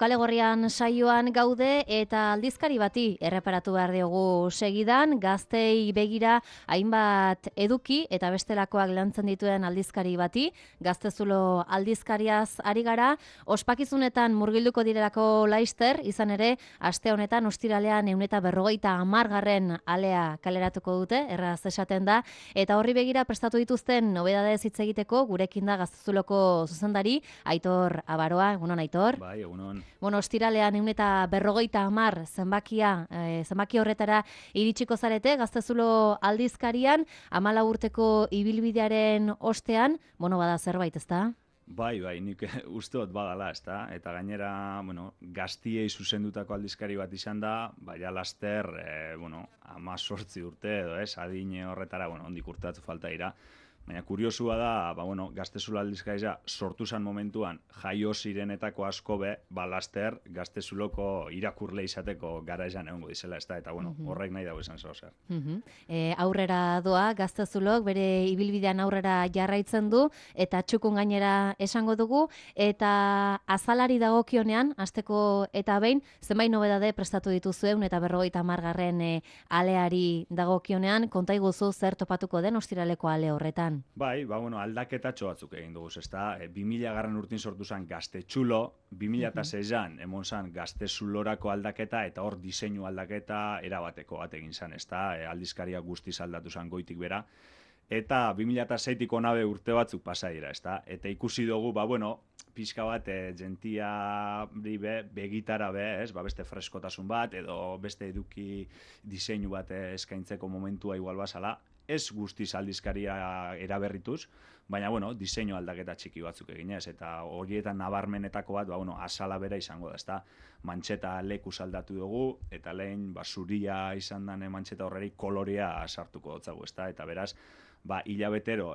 Kale Gorrian saioan gaude eta aldizkari bati erreparatu behar diogu segidan, gaztei begira hainbat eduki eta bestelakoak lantzen dituen aldizkari bati, Gaztezulo aldizkariaz ari gara, ospakizunetan murgilduko direlako laister, izan ere, aste honetan ostiralean 150. alea kaleratuko dute, erraz esaten da, eta horri begira prestatu dituzten nobedadez hitz egiteko, gurekin da Gaztezuloko zuzendari, Aitor Abaroa, egunon Aitor. Bai, egunon. Ostiralean 150 zenbaki horretara iritsiko zarete, Gaztezulo aldizkarian, 14 urteko ibilbidearen ostean, bada zerbait, ezta? Bai, nik uste dut badala, ezta? Eta gainera, gaztiei zuzendutako aldizkari bat izan da, baina laster, 18 urte edo, adin horretara, ondik urteatu falta dira. Baina kuriosua da, Gaztezulo aldizkaria sortu zan momentuan jaio zirenetako asko laster Gaztezuloko irakurle izateko gara esan egongo dizela, ezta? Eta horrek nahi dago esan zer. Aurrera doa Gaztezulok bere ibilbidean aurrera jarraitzen du eta txukun gainera esango dugu eta azalari dagokionean hasteko eta behin zenbait nobedade prestatu dituzue 150. Aleari dagokionean konta iguzu zer topatuko den ostiraleko ale horretan. Bai, aldaketatxo batzuk egin dugu, ezta? 2000 urtin sortu zen Gaztetxulo, 2006an emon zen Gaztezulorako aldaketa eta hor diseinu aldaketa erabateko bat egin zen, ezta? Aldizkaria guztiz aldatu zen goitik bera. Eta 2006tik onabe urte batzuk pasa dira, ezta? Eta ikusi dugu, pixka bat gentia begitara beste freskotasun bat edo beste eduki diseinu bat eskaintzeko momentua igual bazala. Ez guztiz aldizkaria eraberrituz, baina, diseinu aldaketa txiki batzuk eginez, eta horietan nabarmenetako bat, azala bera izango da, ezta? Mantxeta lekuz aldatu dugu, eta lehen, zuria izan den mantxeta horreri kolorea sartuko dutzagu, ezta? Eta beraz, hilabetero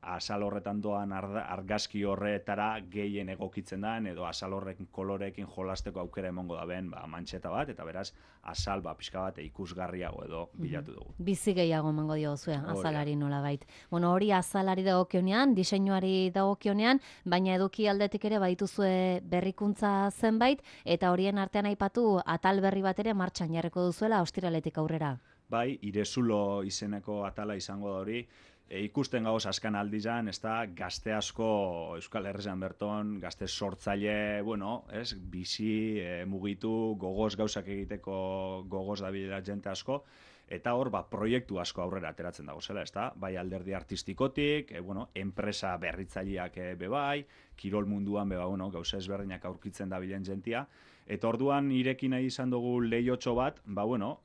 azal horretan doan argazki horretara gehien egokitzen den, edo azal horrekin koloreekin jolasteko aukera emongo da ben, mantxeta bat, eta beraz, azal pixka bat ikusgarriago edo bilatu dugu. Bizi gehiago emango diozue, azalari nolabait. Hori azalari dagokionean, diseinuari dagokionean, baina eduki aldetik ere badituzue berrikuntza zenbait, eta horien artean aipatu atal berri bat ere martxan jarriko duzuela ostiraletik aurrera. Bai, Irezulo izeneko atala izango da hori, ikusten gauz askan aldizan, ez da, gazte asko Euskal Herrian berton, gazte sortzaile, bizi, mugitu, gogoz gauzak egiteko gogoz dabilela jente asko, eta hor, proiektu asko aurrera ateratzen dago zela, ez da, bai alderdi artistikotik, enpresa berritzaileak bebai, kirol munduan gauza ezberdinak aurkitzen dabilen jentia, eta orduan irekin nahi izan dugu lehiotxo bat,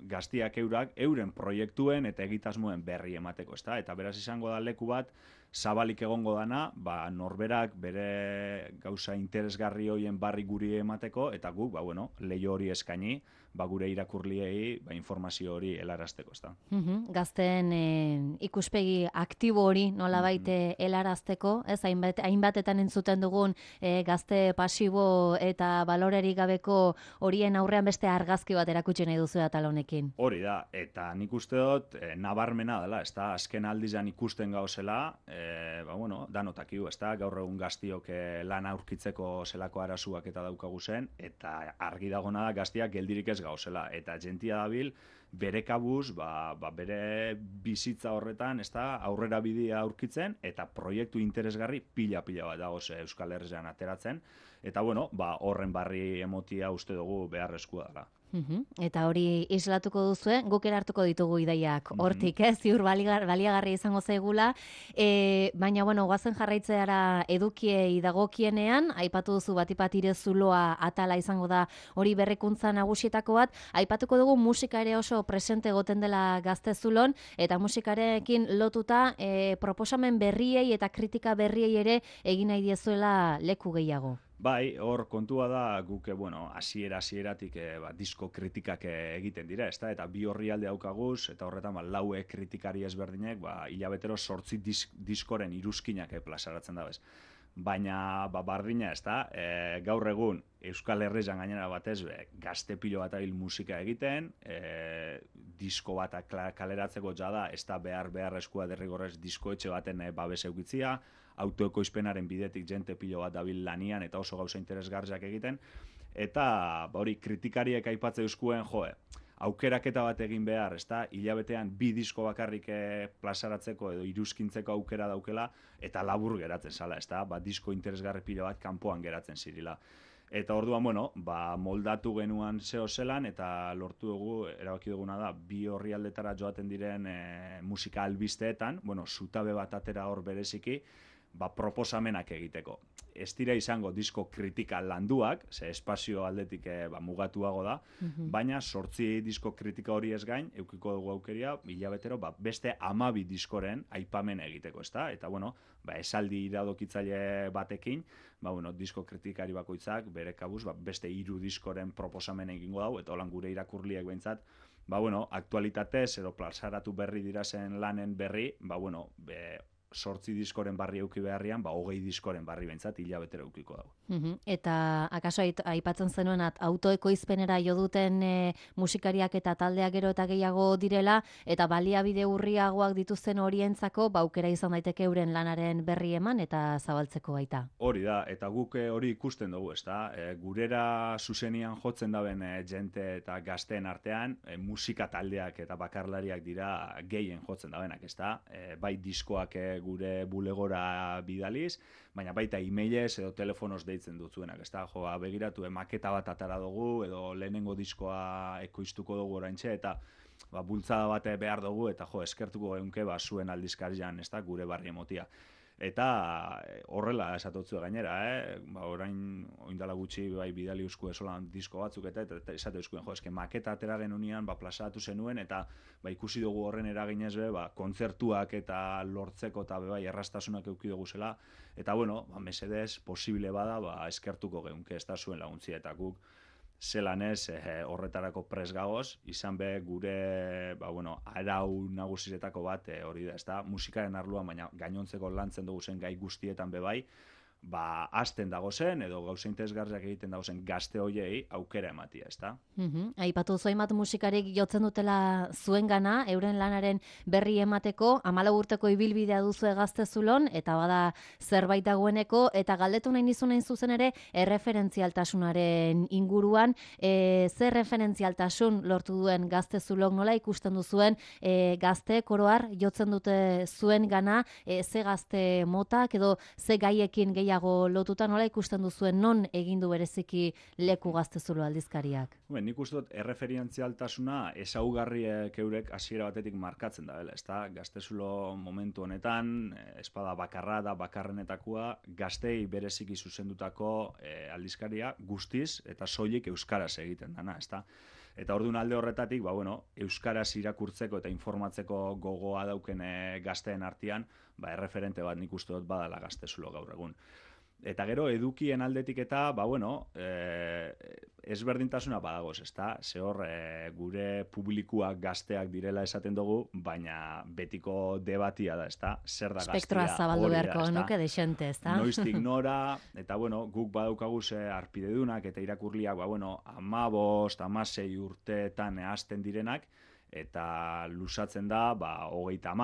gaztiak euren proiektuen eta egitasmoen berri emateko, ezta? Eta beraz izango da leku bat, zabalik egongo dana, norberak bere gauza interesgarri horien barri guri emateko, eta guk, lehio hori eskaini, gure irakurliei informazio hori helarazteko, ezta? Gazten ikuspegi aktibo hori nolabait helarazteko, ez hainbatetan entzuten dugun gazte pasibo eta balorerik gabeko horien aurrean beste argazki bat erakutsi nahi duzu atal honekin. Hori da, eta nik uste dut nabarmena dela, ezta? Azken aldizan ikusten gauzela, danotakiu, ezta? Gaur egun gaztiok lan aurkitzeko zelako arazuak eta daukagu zen, eta argi dagona da gaztiak geldirik ez gauzela, eta jentia dabil bere kabuz, bere bizitza horretan, ezta, aurrera bidea aurkitzen, eta proiektu interesgarri pila bat dagoz Euskal Herrian ateratzen, eta horren barri emotia uste dugu beharrezkoa dela. Eta hori islatuko duzue, guk erartuko ditugu ideiak hortik, ziur baliagarri izango zaigula, baina, guazen jarraitzeara edukiei dagokienean, aipatu duzu batipat Irezuloa atala izango da hori berrikuntza nagusietako bat, aipatuko dugu musika ere oso presente egoten dela Gaztezulon, eta musikarekin lotuta proposamen berriei eta kritika berriei ere egin nahi diezuela leku gehiago. Bai, hor kontua da guk, hasieratik disko kritikak egiten dira, ezta? Eta bi orrialde daukaguz, eta horretan laue kritikari ezberdinek, hilabetero 8 diskoren iruzkinak plazaratzen da bez. Baina, bardina, ezta? Gaur egun Euskal Herrian gainera batez gazte pilo bat abil musika egiten, disko bat kaleratzeko jada, ez da beharrezkoa derrigorrez diskoetxe baten babes eukitzia, autoekoizpenaren bidetik jente pilo bat dabil lanian eta oso gauza interesgarriak egiten, eta hori kritikariek aipatzen euskuen, aukeraketa bat egin behar, ezta? Hilabetean 2 disko bakarrik plazaratzeko edo iruzkintzeko aukera daukela, eta labur geratzen zala, ezta? Disko interesgarri pila bat kanpoan geratzen zirila. Eta orduan, moldatu genuan zeo zelan, eta lortu dugu, erabaki duguna da, 2 orrialdetara joaten diren musika albisteetan, zutabe bat atera hor bereziki, proposamenak egiteko. Ez dira izango disko kritika landuak, ze espazio aldetik mugatuago da, baina 8 disko kritika hori ez gain, eukiko dugu aukeria, hilabetero, beste 12 diskoren aipamen egiteko, ezta? Eta, esaldi iradokitzaile batekin, disko kritikari bakoitzak, bere kabuz, beste 3 diskoren proposamen egingo dau, eta holan gure irakurliek behintzat, aktualitatez edo plazaratu berri dirazen lanen berri, 8 diskoren barri euki beharrian, 20 diskoren barri behintzat hilabetero eukiko dago. Eta akaso aipatzen zenuen autoekoizpenera jo duten musikariak eta taldeak gero eta gehiago direla, eta baliabide urriagoak dituzten horientzako, aukera izan daiteke euren lanaren berri eman eta zabaltzeko baita. Hori da, eta guk hori ikusten dugu, ezta? Gurera zuzenian jotzen daben jente eta gazteen artean, musika taldeak eta bakarlariak dira gehien jotzen dabenak, ezta? Bai diskoak gure bulegora bidaliz, baina baita e-mailez edo telefonoz deitzen dutzuenak, ezta? Begiratu, maketa bat atara dugu, edo lehenengo diskoa ekoiztuko dugu oraintxe, eta bultzada bat behar dugu, eta eskertuko geunke zuen aldizkarian, ezta? Gure barri emotia. Eta horrela esatotzu gainera, orain oindala gutxi bidali euskue solan disko batzuk eta esate euskuen, eske maketa atera genunian plazaratu zenuen, eta ikusi dugu horren eraginez kontzertuak eta lortzeko eta errastasunak eduki dugu zela, eta mesedez posible bada eskertuko geunke ez da zuen laguntzia, eta guk zelan ez horretarako pres gagoz, izan be gure arau nagusiretako bat hori da, ezta? Musikaren arloan, baina gainontzeko lantzen dugu zen gai guztietan bebai, hasten dago zen, edo gauza interesgarriak egiten dago zen gazte hoiei aukera ematia, ezta? Aipatu zoimat musikarik jotzen dutela zuengana, euren lanaren berri emateko, 14 urteko ibilbidea duzu Gaztezulon, eta bada zerbait dagoeneko, eta galdetu nahi nizun hain zuzen ere, erreferentzialtasunaren inguruan, zer referentzialtasun lortu duen Gaztezulon, nola ikusten duzuen gazte koroar jotzen dute zuengana, ze gazte motak, edo ze gaiekin gehiago lotuta, nola ikusten duzuen non egindu bereziki leku Gaztezulo aldizkariak? Nik uste dut erreferentzialtasuna ezaugarriek eurek hasiera batetik markatzen da, ezta? Gaztezulo momentu honetan, espada bakarra da bakarrenetakoa, gaztei bereziki zuzendutako aldizkaria guztiz eta soilik euskaraz egiten dana, ezta? Eta orduan alde horretatik, euskaraz irakurtzeko eta informatzeko gogoa dauken gazteen artean, erreferente bat nik uste dut badala Gaztezulo gaur egun. Eta gero, edukien aldetik eta, ezberdintasuna badagoz, ezta? Ze hor, gure publikoak gazteak direla esaten dugu, baina betiko debatia da, ezta? Zer da gaztea? Spektroa zabaldu beharko, nuke desente, ezta? Noiztik nora, eta guk badaukagu arpidedunak eta irakurliak, 15, 16 urteetan hasten direnak, eta lusatzen da, 30,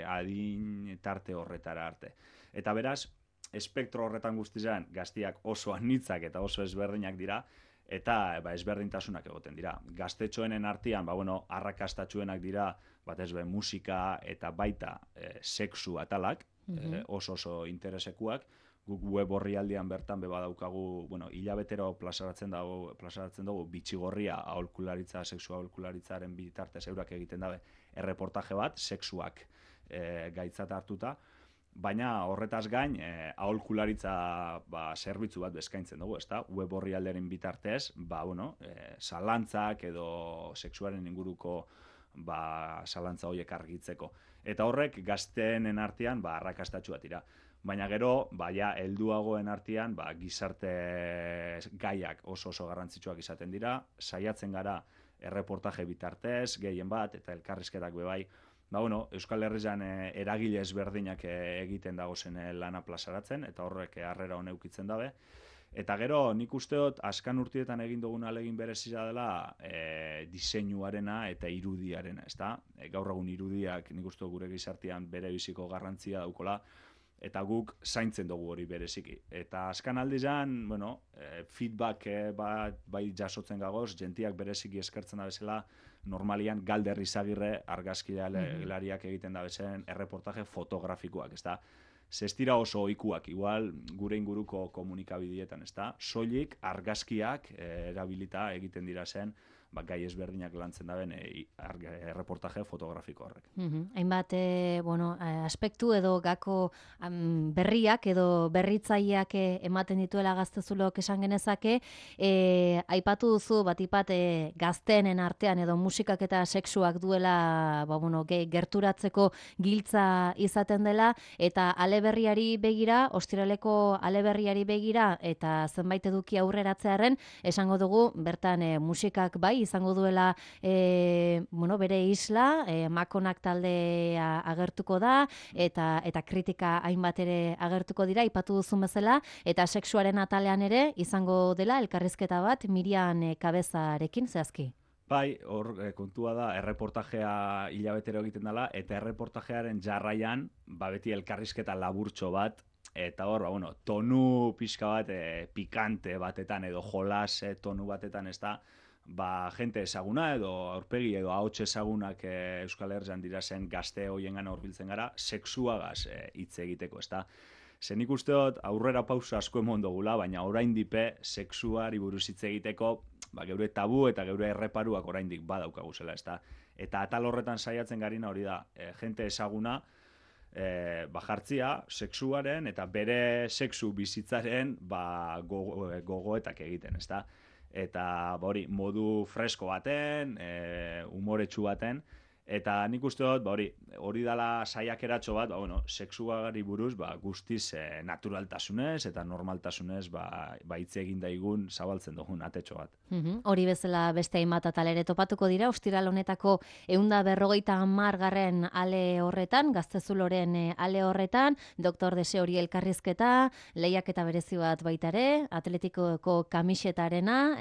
adin tarte horretara arte. Eta beraz, espektro horretan guztizan gaztiak oso anitzak eta oso ezberdinak dira, eta ezberdintasunak egoten dira. Gaztetxoenen artean, arrakastatxuenak dira, batez be musika eta baita sexu atalak, oso interesekuak, guk web orrialdean bertan badaukagu, hilabetero plazaratzen dugu bitxigorria aholkularitza, sexu aholkularitzaren bitartez eurak egiten dabe erreportaje bat, sexuak gaitzat hartuta, baina horretaz gain aholkularitza zerbitzu bat eskaintzen dugu, ezta? Web orrialderen bitartez, zalantzak edo sexuaren inguruko zalantza horiek argitzeko. Eta horrek gazteenen artean arrakastatxuak dira. Baina gero, helduagoen artean gizarte gaiak oso garrantzitsuak izaten dira, saiatzen gara erreportaje bitartez, gehien bat, eta elkarrizketak bebai, Euskal Herrian eragile ezberdinak egiten dagozen lana plazaratzen, eta horrek harrera hone eukitzen dabe. Eta gero, nik uste dut, azkan urtietan egin dugun alegin berezia dela diseinuarena eta irudiarena, ezta? Gaur egun irudiak nik uste dut gure gizartean bere biziko garrantzia daukola, eta guk zaintzen dugu hori bereziki. Eta azkan aldizan, bueno, feedback bai jasotzen gagoz, jentiak bereziki eskertzen da bezala, normalian Galder Izagirre argazkilariak egiten da bezen erreportaje fotografikoak, ez da? Zestira oso ohikuak, igual gure inguruko komunikabidietan, ez da? Soilik argazkiak erabilita egiten dira zen, gai ezberdinak lantzen daben erreportaje fotografiko horrek. Hainbat, aspektu edo gako berriak edo berritzaileak ematen dituela Gaztezulok esan genezake, aipatu duzu batipat gazteenen artean edo musikak eta sexuak duela gerturatzeko giltza izaten dela, eta aleberriari begira, ostiraleko aleberriari begira, eta zenbait eduki aurreratzearen, esango dugu, bertan musikak bai, izango duela bere isla, Makonak taldea agertuko da, eta kritika hainbat ere agertuko dira, aipatu duzun bezala, eta sexuaren atalean ere izango dela elkarrizketa bat Miriam Kabezarekin zehazki. Bai, hor kontua da, erreportajea hilabetero egiten dela, eta erreportajearen jarraian, beti elkarrizketa laburtxo bat, eta hor, tonu pixka bat pikante batetan, edo jolas tonu batetan, ez da, jente ezaguna edo aurpegi edo ahots ezagunak Euskal Herrian dira zen gazte hoiengana hurbiltzen gara, sexuagaz hitz egiteko, ezta? Zen nik uste dut aurrera pausa asko emon dugula, baina oraindik sexuari buruz hitz egiteko, geure tabu eta geure erreparuak oraindik badaukagu zela, ezta? Eta atal horretan saiatzen garina hori da, jente ezaguna jartzia sexuaren eta bere sexu bizitzaren gogoetak egiten, ezta? Eta hori modu fresko baten, umoretsu baten, eta nik uste dut hori dela saiakeratxo bat, sexuari buruz guztiz naturaltasunez eta normaltasunez hitz egin daigun zabaltzen dugun atetxo bat. Hori bezala beste hainbat atal ere topatuko dira, ostiral honetako 150. ale horretan, Gaztezuloren ale horretan, Dr. Deseori elkarrizketa, lehiaketa berezi bat baita ere, Atletikoko kamisetarena,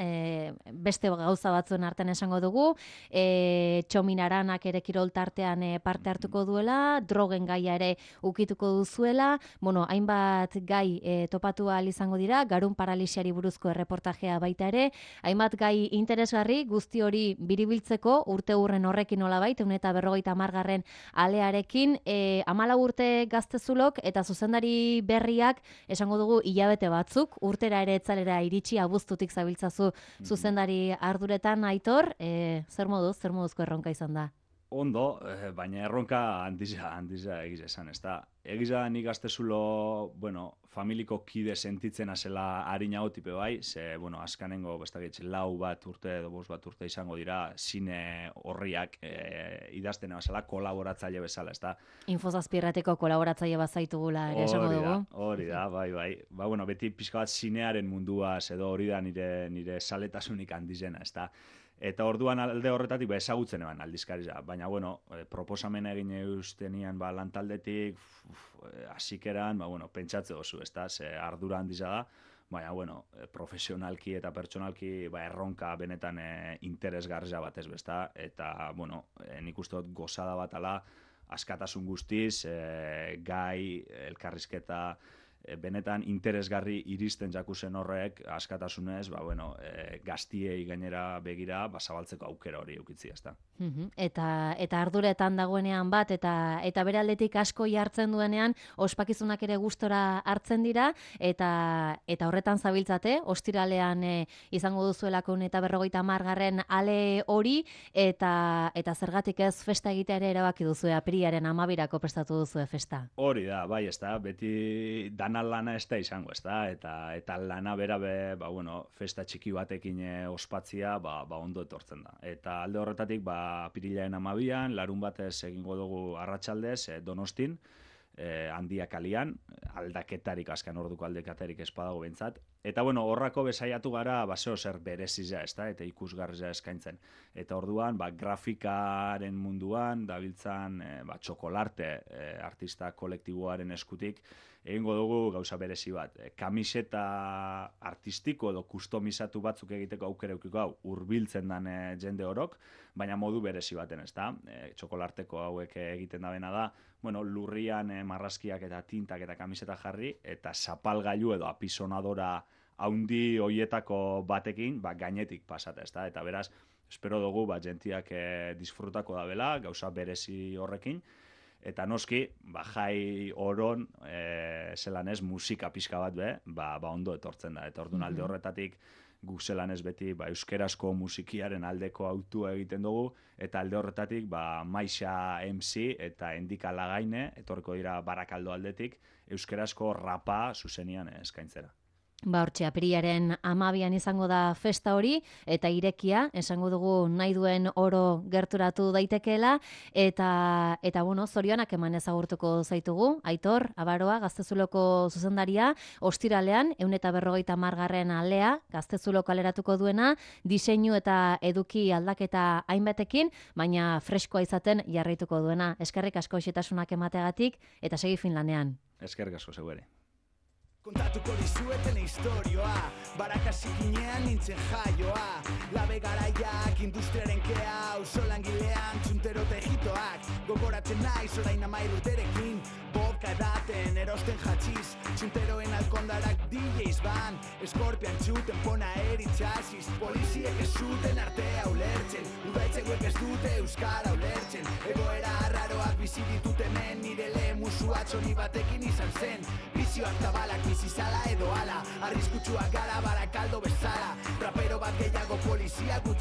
beste gauza batzuen artean esango dugu, Txominaranak ere kirol tartean parte hartuko duela, drogen gaia ere ukituko duzuela, hainbat gai topatu ahal izango dira, garun paralisiari buruzko erreportajea baita ere, hainbat gai interesgarri, guzti hori biribiltzeko, urte hurren horrekin nolabait, 150. alearekin, 14 urte Gaztezulok, eta zuzendari berriak, esango dugu hilabete batzuk, urtera ere etzalera iritsi abuztutik zabiltzazu zuzendari arduretan, Aitor, zer moduzko erronka izan da? Ondo, baina erronka handiza egiz esan, ez da. Egiza nik Gaztezulo, familiko kide sentitzen azela harinago tipe bai, ze, azkanengo, bestakitz, 4 urte edo 5 urte izango dira, zine horriak idazten bazala, kolaboratzaile bezala, ez da. Infozazpirrateko kolaboratzaile bazaitugula, ere esango dugu. Hori da, bai. Beti pixka bat zinearen munduaz, edo hori da nire saletasunik handizena, ez da. Eta orduan alde horretatik ezagutzen eban aldizkaria, baina proposamena egin eustenian lantaldetik, hasikeran, pentsatze oso, ez da, ze ardura handiza da, baina, profesionalki eta pertsonalki erronka benetan interesgarria bat ez besta, eta, nik uste dut gozada bat ala, askatasun guztiz, gai, elkarrizketa, benetan interesgarri iristen jakuzen horrek askatasunez, gaztiei gainera begira, zabaltzeko aukera hori eukitzi, ezta. Eta arduretan dagoenean bat, eta bere aldetik asko jartzen duenean, ospakizunak ere gustora hartzen dira, eta horretan zabiltzate, ostiralean izango duzuelako 150. ale hori, eta zergatik ez festa egitea ere erabaki duzu, apirilaren 12 prestatu duzu festa. Hori da, bai, ez da, beti dana lana ez da izango, ez da, eta lana bera festa txiki batekin ospatzia, ondo etortzen da. Eta alde horretatik, apirilaren 12an, larun batez egingo dugu arratsaldez, Donostin, Handia kalian, aldaketarik, azken orduko aldaketarik ez badago behintzat, Eta bueno, horrako bezaiatu gara baseo zer berezia, ezta, eta ikusgarria eskaintzen. Eta orduan, grafikaren munduan dabiltzan txokolarte artista kolektiboaren eskutik egingo dugu gauza berezi bat. Kamiseta artistiko edo kustomizatu batzuk egiteko aukera edukiko hau hurbiltzen dan jende orok, baina modu berezi baten, ezta? Txokolarteko hauek egiten dabena da, bueno, lurrian marrazkiak eta tintak eta kamiseta jarri, eta zapalgailu edo apisonadora haundi hoietako batekin, gainetik pasata, ezta? Eta beraz, espero dugu, jentiak disfrutako dabela, gauza berezi horrekin, eta noski, jai oron, zelan ez, musika pixka bat ondo etortzen da. Eta orduan alde horretatik, guk zelan ez beti, euskerazko musikiaren aldeko autua egiten dugu, eta alde horretatik, Maixa MC eta Endika Lagaine, etorriko dira Barakaldo aldetik, euskerazko rapa zuzenian eskaintzera. Hortxe, apirilaren 12an izango da festa hori, eta irekia, esango dugu nahi duen oro gerturatu daitekeela, eta bueno, zorionak eman ezagurtuko zaitugu, Aitor, Abaroa, Gaztezuloko zuzendaria, ostiralean, 150. alea, Gaztezuloko aleratuko duena, diseinu eta eduki aldaketa hainbatekin, baina freskoa izaten jarraituko duena. Eskerrik asko xetasunak emateagatik, eta segi Finlandean. Eskerrik asko zeuere. Kontatuko dizueten historioa, barakasikinean nintzen jaioa, labe garaiak, industriaren kea, auzo langilean, txuntero tejitoak, gogoratzen naiz orain 13 urterekin, vodka edaten, erosten jatxiz, txunteroen alkondarak DJs ban, eskorpian txuten pona eritxasiz, poliziek ez zuten artea ulertzen, udaitzekuek ez dute euskara ulertzen, egoera arraroak bizi ditut hemen, nire lehenmusu atxoni batekin izan zen, bizioak tabalak bizizala edo ala, arriskutsuak gara Barakaldo bezala, rapero bat gehiago polizia gutxi.